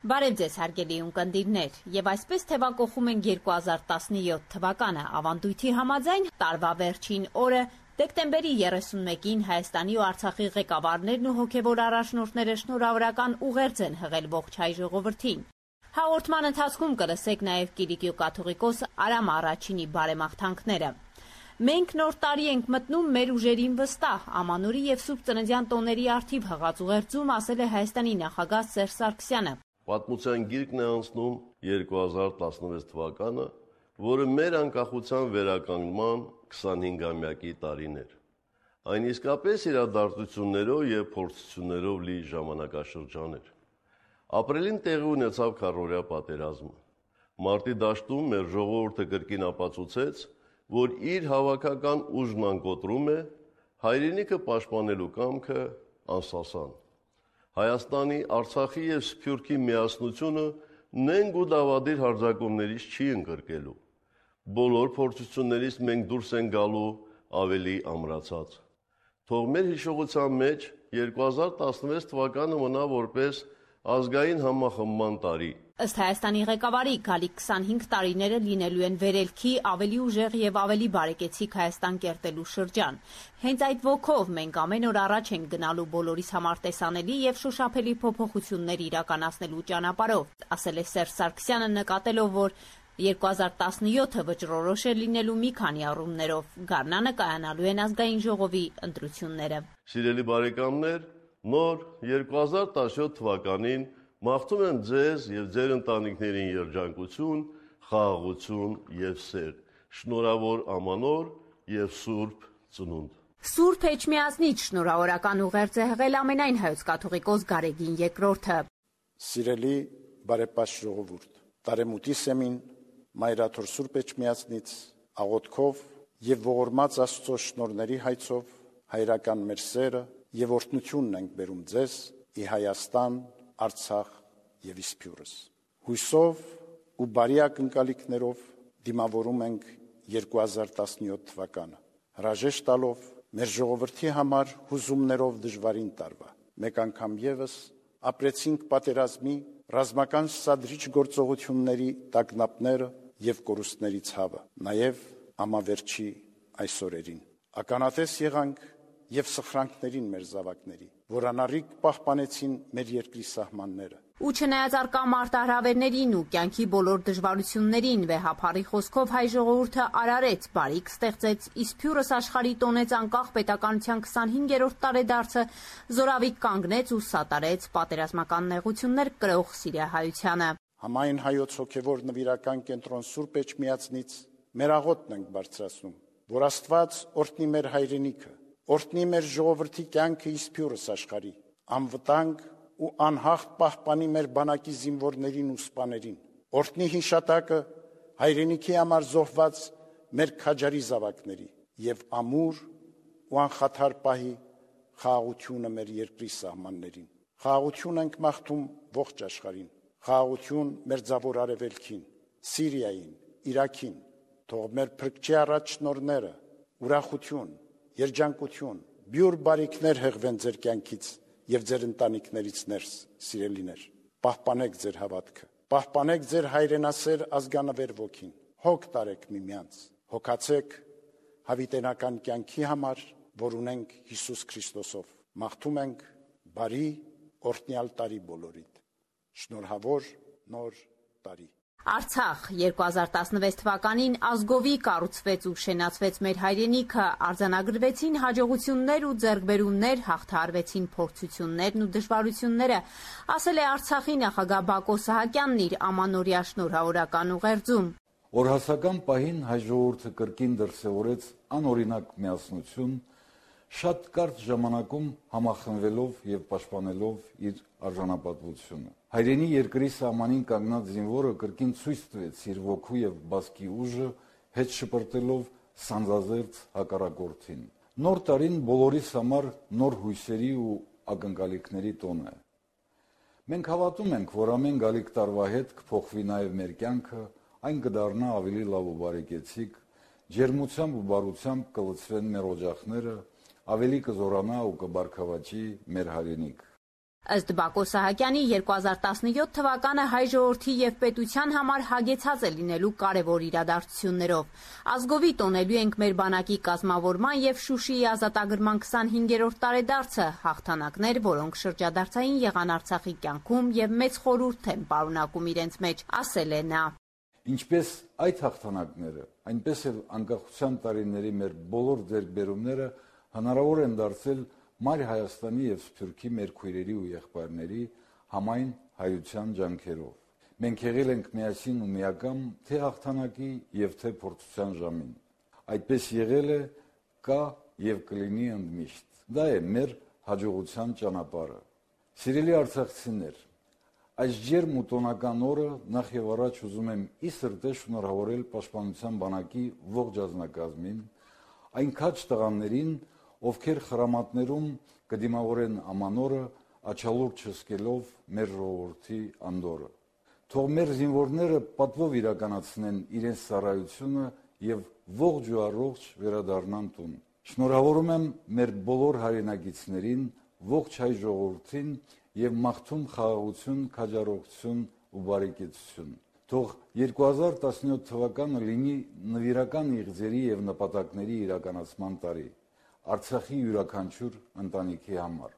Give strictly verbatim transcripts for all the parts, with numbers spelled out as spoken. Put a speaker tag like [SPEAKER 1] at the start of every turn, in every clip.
[SPEAKER 1] Բարև ձեզ հարգելի ունկնդիրներ, եւ այսպես թեւակոխում ենք երկու հազար տասնյոթ թվականը, ավանդույթի համաձայն տարվա վերջին օրը դեկտեմբերի երեսունմեկին Հայաստանի ու Արցախի ղեկավարներն ու հոգեւոր առաջնորդները շնորհավորական ուղերձ են հղել ողջ հայ ժողովրդին։ Հաղորդման ընթացքում կլսեք նաեւ Կիլիկիո կաթողիկոս Արամ Առաջինի բարեմաղթանքները։ Մենք նոր տարի ենք մտնում մեր ուժերին վստահ, Ամանորի եւ Սուրբ Ծննդյան տոների առթիվ հղած ուղերձում ասել է Հայաստանի նախագահ Սերժ Սարգսյանը։
[SPEAKER 2] Պատմության գիրկն է անցնում երկու հազար տասնվեց թվականը, որը մեր անկախության վերականգնման քսանհինգամյակի տարին էր։ Այն իսկապես իրադարձություններով եւ փորձություններով լի ժամանակաշրջան էր։ Ապրիլին տեղի ունեցավ քառօրյա պատերազմը։ Մարտի դաշտում մեր ժողովուրդը կրկին ապացուցեց, որ իր հավաքական ուժն անկոտրում է, հայրենիքը պաշտպանելու կամքը անսասան։ Հայաստանի, Արցախի եւ Սփյուռքի միասնությունը նենգ ու դավադիր հարձակումներից չի ընկրկելու։ Բոլոր փորձություններից մենք դուրս են գալու ավելի ամրացած։ Թող մեր հիշողության մեջ երկու հազար տասնվեց թվականը մնա որպես ազգային համախմբման տարի։
[SPEAKER 1] Ըստ Հայաստանի ղեկավարի, գալիք քսանհինգ տարիները լինելու են վերելքի, ավելի ուժեղ եւ ավելի բարեկեցիկ Հայաստան կերտելու շրջան։ Հենց այդ ոգով մենք ամեն օր առաջ ենք գնալու բոլորիս համար տեսանելի եւ շոշափելի փոփոխություններ իրականացնելու ճանապարհով, ասել է Սերժ Սարգսյանը, նկատելով, որ երկու հազար տասնյոթը վճռորոշ է լինելու մի քանի առումներով։ Գարնանը կայանալու են ազգային ժողովի ընտրությունները։
[SPEAKER 2] Սիրելի բարեկամներ, նոր երկու հազար տասնյոթ թվականին մաղթում եմ ձեզ եւ ձեր ընտանիքներին երջանկություն, խաղաղություն եւ սեր։ Շնորհավոր Ամանոր եւ Սուրբ Ծնունդ։
[SPEAKER 1] Սուրբ Էջմիածնից շնորհավորական ուղերձ է հղել ամենայն հայոց կաթողիկոս Գարեգին երկրորդը։
[SPEAKER 3] Սիրելի բարեպաշտ ժողովուրդ, տարեմուտի սեմին Մայրաթոր Սուրբ Էջմիածնից աղոթքով եւ ողորմած Աստծո շնորհների հայցով հայրական մեր սերը եւ օրհնությունն ենք բերում ձեզ ի Հայաստան, Արցախ եւ Իսփյուռս։ Հույսով ու բարի ակնկալիքներով դիմավորում ենք երկու հազար տասնյոթ թվականը, հրաժեշտ տալով մեր ժողովրդի համար հուզումներով դժվարին տարվա։ Մեկ անգամ եւս ապրեցինք պատերազմի ռազմական սադրիչ գործողությունների տագնապները եւ կորուստների ցավը, նաեւ ամավերջի այս օրերին։ Ականատես եղանք եւ սխրանքներին մեր զավակների, որ անառիկ պահպանեցին մեր երկրի սահմանները։
[SPEAKER 1] Ու չնայած առկա մարտահրավերներին ու կյանքի բոլոր դժվարություններին, վեհափառի խոսքով հայ ժողովուրդը արարեց, բարիք ստեղծեց, Իսփյուռս աշխարհի տոնեց անկախ պետականության քսանհինգերորդ տարեդարձը, զորավիք կանգնեց ու սատարեց պատերազմական նեղություններ կրող Սիրիահայությանը։
[SPEAKER 3] Համայն հայոց հոգևոր նվիրական կենտրոն Սուրբ Էջմիածնից մեր աղոթն ենք բարձրացնում, որ Աստված օրհնի մեր հայրենիքը, օրհնի մեր ժողովրդի կյանքը Իսփյուռս աշխարհի, անվտանգ ու անհաղթ պահպանի մեր բանակի զինվորներին ու սպաներին, օրհնի հիշատակը հայրենիքի համար զոհված մեր քաջարի զավակների եւ ամուր ու անխաթար պահի խաղաղությունը մեր երկրի սահմաններին։ Խաղաղություն ենք մաղթում ողջ աշխարհին, խաղաղություն մերձավոր արևելքին, Սիրիային, Իրաքին, թող մեր փրկչի առաջ շնորհները, ուրախություն, երջանկություն, բյուր բարիքներ հղվեն ձեր կյանքից եւ ձեր ընտանիքներից ներս, սիրելիներ։ Պահպանեք ձեր հավատքը, պահպանեք ձեր հայրենասեր ազգանվեր ոգին, հոգ տարեք միմյանց, հոգացեք հավիտենական կյանքի համար, որ ունենք Հիսուս Քրիստոսով։ Մաղթում ենք բարի օրհնյալ տարի բոլորիդ։ Շնորհավոր նոր տարի։
[SPEAKER 1] Արցախ երկու հազար տասնվեց թվականին ազգովի կառուցվեց ու շենացվեց մեր հայրենիքը, արձանագրվեցին հաջողություններ ու ձեռքբերումներ, հաղթահարվեցին փորձություններն ու դժվարությունները, ասել է Արցախի նախագահ Բակո Սահակյանն իր ամանորյա շնորհավորական ուղերձում։
[SPEAKER 4] Օրհասական պահին հայ ժողովուրդը կրկին դրսևորեց անօրինակ միասնություն, շատ կարճ ժամանակում համախմբվելով եւ պաշտպանելով իր արժանապատվությունը։ Հայրենի երկրի սահմանին կանգնած զինվորը կրկին ցույց տվեց իր ոգու եւ բասկի ուժը, հետ շպրտելով սանձազերծ հակառակորդին։ Նոր տարին բոլորիս համար նոր հույսերի ու ակնկալիքների տոն է։ Մենք հավատում ենք, որ ամեն գալիք տարվա հետ կփոխվի նաեւ մեր կյանքը, այն կդառնա ավելի լավ ու բարեկեցիկ, ջերմությամբ ու բարությամբ կլցվեն մեր օջախները, ավելի կզորանա ու կբարգավաճի մեր հայրենիք։
[SPEAKER 1] Ըստ Բակո Սահակյանի երկու հազար տասնյոթ թվականը հայ ժողովրդի եւ պետության համար հագեցած է լինելու կարևոր իրադարձություններով։ Ազգովի տոնելու ենք մեր բանակի կազմավորման եւ Շուշիի ազատագրման քսանհինգերորդ տարեդարձը, հաղթանակներ, որոնք շրջադարձային եղան Արցախի կյանքում եւ մեծ խորհուրդ են պարունակում իրենց մեջ, ասել է նա։
[SPEAKER 4] Ինչպես այդ հաղթանակները, այնպես էլ անկախության տարիների մեր բոլոր ձեռքբերումները հնարավոր են դարձել Մայր Հայաստանի եւ Սփյուռքի մեր քույրերի ու եղբայրների համայն հայության ջանքերով։ Մենք եղել ենք միասին ու միակամ թե հաղթանակի եւ թե փորձության ժամին։ Այդպես եղել է, կա եւ կլինի ընդմիշտ։ Դա է մեր հաջողության ճանապարհը։ Սիրելի արցախցիներ, այս ջերմ ու տոնական օրը նախ եւ առաջ ուզում եմ ի սրտե շնորհավորել Պաշտպանության բանակի ողջ ազնագազմին, այն քաջ տղաներին, ովքեր խրամատներում կդիմավորեն ամանորը, աչալուր չսկելով մեր ժողովրդի անդորը։ Թող մեր զինվորները պատվով իրականացնեն իրենց ծառայությունը եւ ողջ ու առողջ վերադառնան տուն։ Շնորհավորում եմ մեր բոլոր հայրենակիցներին, ողջ հայ ժողովրդին եւ մաղթում խաղաղություն, քաջառողջություն ու բարեկեցություն։ Թող երկու հազար տասնյոթ թվականը լինի նվիրական իղձերի եւ նպատակների իրականացման տարի Արցախի յուրաքանչյուր ընտանիքի համար։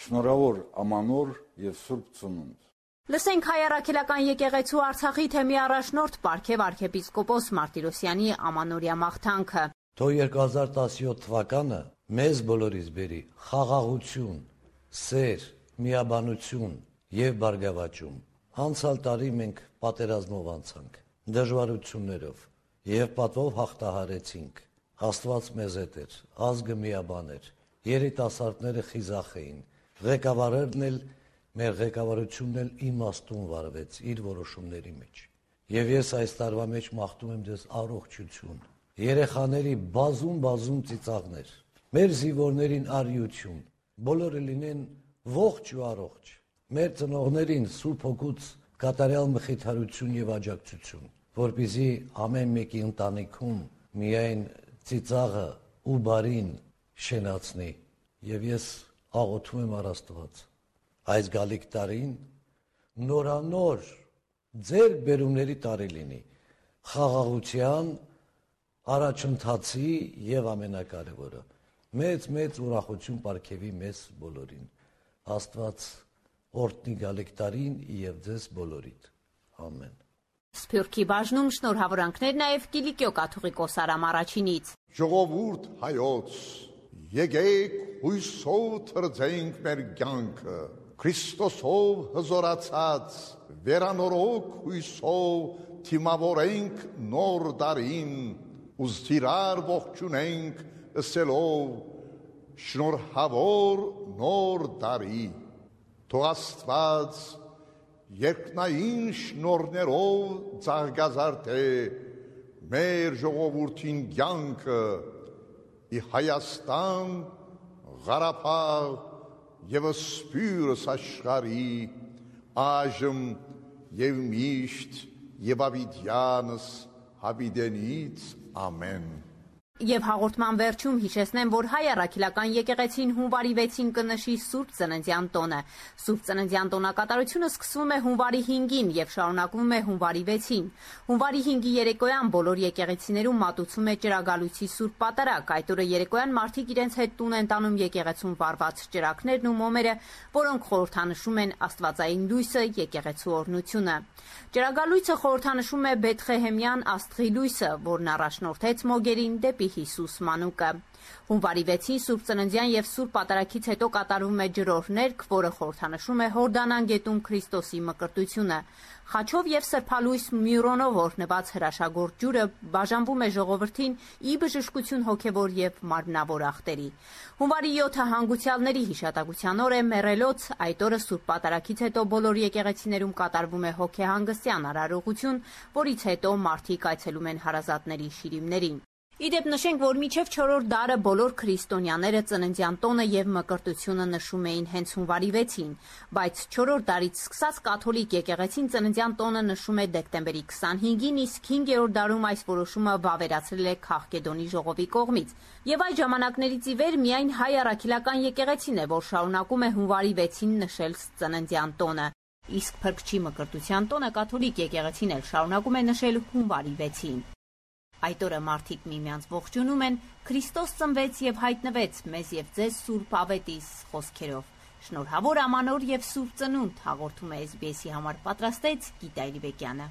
[SPEAKER 4] Շնորհավոր ամանոր եւ Սուրբ Ծնունդ։
[SPEAKER 1] Լսենք Հայ առաքելական եկեղեցու Արցախի թեմի առաջնորդ Պարքև arczepiskopos Մարտիրոսյանի ամանորյա մաղթանքը։
[SPEAKER 5] Թող երկու հազար տասնյոթ թվականը մեզ բոլորիս բերի խաղաղություն, սեր, միաբանություն եւ բարգավաճում։ Անցյալ տարի մենք պատերազմով անցանք, դժվարություններով եւ պատվով հաղթահարեցինք։ Աստված մեզ հետ էր, ազգը միաբան էր, երիտասարդները խիզախ էին, ղեկավարներն էլ, մեր ղեկավարությունն էլ իմաստուն վարվեց իր որոշումների մեջ։ Եվ ես այս տարվա մեջ մաղթում եմ ձեզ առողջություն, երեխաների բազում-բազում ծիծաղներ, մեր զինվորներին արիություն, բոլորը լինեն ողջ ու առողջ, մեր ծնողներին Սուրբ Հոգուց կատարյալ մխիթարություն եւ աջակցություն, որպեսզի ամեն մեկի ընտանիքում միայն ծիծաղը ու բարին շենացնի եւ ես աղոթում եմ առ Աստված այս գալիք տարին նորանոր ձեր բերումների տարի լինի խաղաղության առաջընթացի եւ ամենակարևորը մեծ-մեծ ուրախություն պարգևի մեզ բոլորին Աստված օրհնի գալիք տարին եւ ձեզ բոլորիդ ամեն
[SPEAKER 1] Սփյուռքի բաժնում շնորհավորանքներ նաև Կիլիկիո կաթողիկոս Արամ առաջինից։
[SPEAKER 6] Ժողովուրդ հայոց, եկեք հույսով թրձենք մեր կյանքը, Քրիստոսով հզորացած, վերանորոգ հույսով թիմավորենք նոր դարին, ու զիրար ողջունենք ըսելով շնորհավոր նոր դարի, թող Աստված երկնային շնորհներով ծաղկազարդե մեր ժողովրդին կյանքը ի Հայաստան, Ղարաբաղ եւ Սփյուռս աշխարհի այժմ եւ միշտ եւ ավիդյանս հավիդենից ամեն
[SPEAKER 1] Եվ հաղորդման վերջում հիշեցնեմ, որ Հայ առաքելական եկեղեցին հունվարի վեցին կնշի Սուրբ Ծննդյան տոնը։ Սուրբ Ծննդյան տոնակատարությունը սկսվում է հունվարի հինգին եւ շարունակվում է հունվարի վեցին։ Հունվարի հինգի երեկոյան բոլոր եկեղեցիներում մատուցվում է ճրագալույցի Սուրբ Պատարագ։ Այդ օրը երեկոյան մարդիկ իրենց հետ տուն են տանում եկեղեցուն վառված ճրագներն ու մոմերը, որոնք խորհրդանշում են Աստվածային լույսը, եկեղեցու օրհնությունը։ Ճրագալույցը խորհրդանշում է Բեթղեհեմյան աստղի լույսը, որն առաջնորդեց մոգերին դեպի Հիսուս մանուկը։ Հունվարի վեցին Սուրբ Ծննդյան եւ Սուրբ Պատարագից հետո կատարվում է ջրօրհներգ, որը խորհրդանշում է Հորդանան գետում Քրիստոսի մկրտությունը։ Խաչով եւ սրբալույս մյուրոնով օրհնված հրաշագործ ջուրը բաժանվում է ժողովրդին ի բժշկություն հոգեվոր եւ մարմնավոր ախտերի։ Հունվարի յոթը հանգուցյալների հիշատակության օր է մեռելոց, այդ օրը Սուրբ Պատարագից հետո բոլոր եկեղեցիներում կատարվում է հոգեհանգստյան արարողություն, որից հետո մարդիկ այցելում են հարազատների շիրիմներին։ Իդեպ նշենք, որ մինչև չորրորդ դարը բոլոր քրիստոնյաները ծննդյան տոնը եւ մկրտությունը նշում էին հենց հունվարի վեցին, բայց չորրորդ դարից սկսած կաթոլիկ եկեղեցին ծննդյան տոնը նշում է դեկտեմբերի քսանհինգին, իսկ հինգերորդ դարում այս որոշումը վավերացրել է Քաղկեդոնի ժողովի կողմից։ Եվ այդ ժամանակներից ի վեր միայն հայ առաքելական եկեղեցին է, որ շարունակում է հունվարի վեցին նշել ծննդյան տոնը, իսկ Փրկչի մկրտության տոնը կաթոլիկ եկեղեցին էլ շարունակում է նշել հունվարի վեցին։ Այդ օրը մարդիկ միմյանց ողջունում են «Քրիստոս ծնվեց եւ հայտնվեց մեզ եւ ձեզ Սուրբ Ավետիս» խոսքերով։ Շնորհավոր Ամանոր եւ Սուրբ Ծնունդ հաղորդում է էս բի էսի համար պատրաստեց Գիտա Իրիբեկյանը։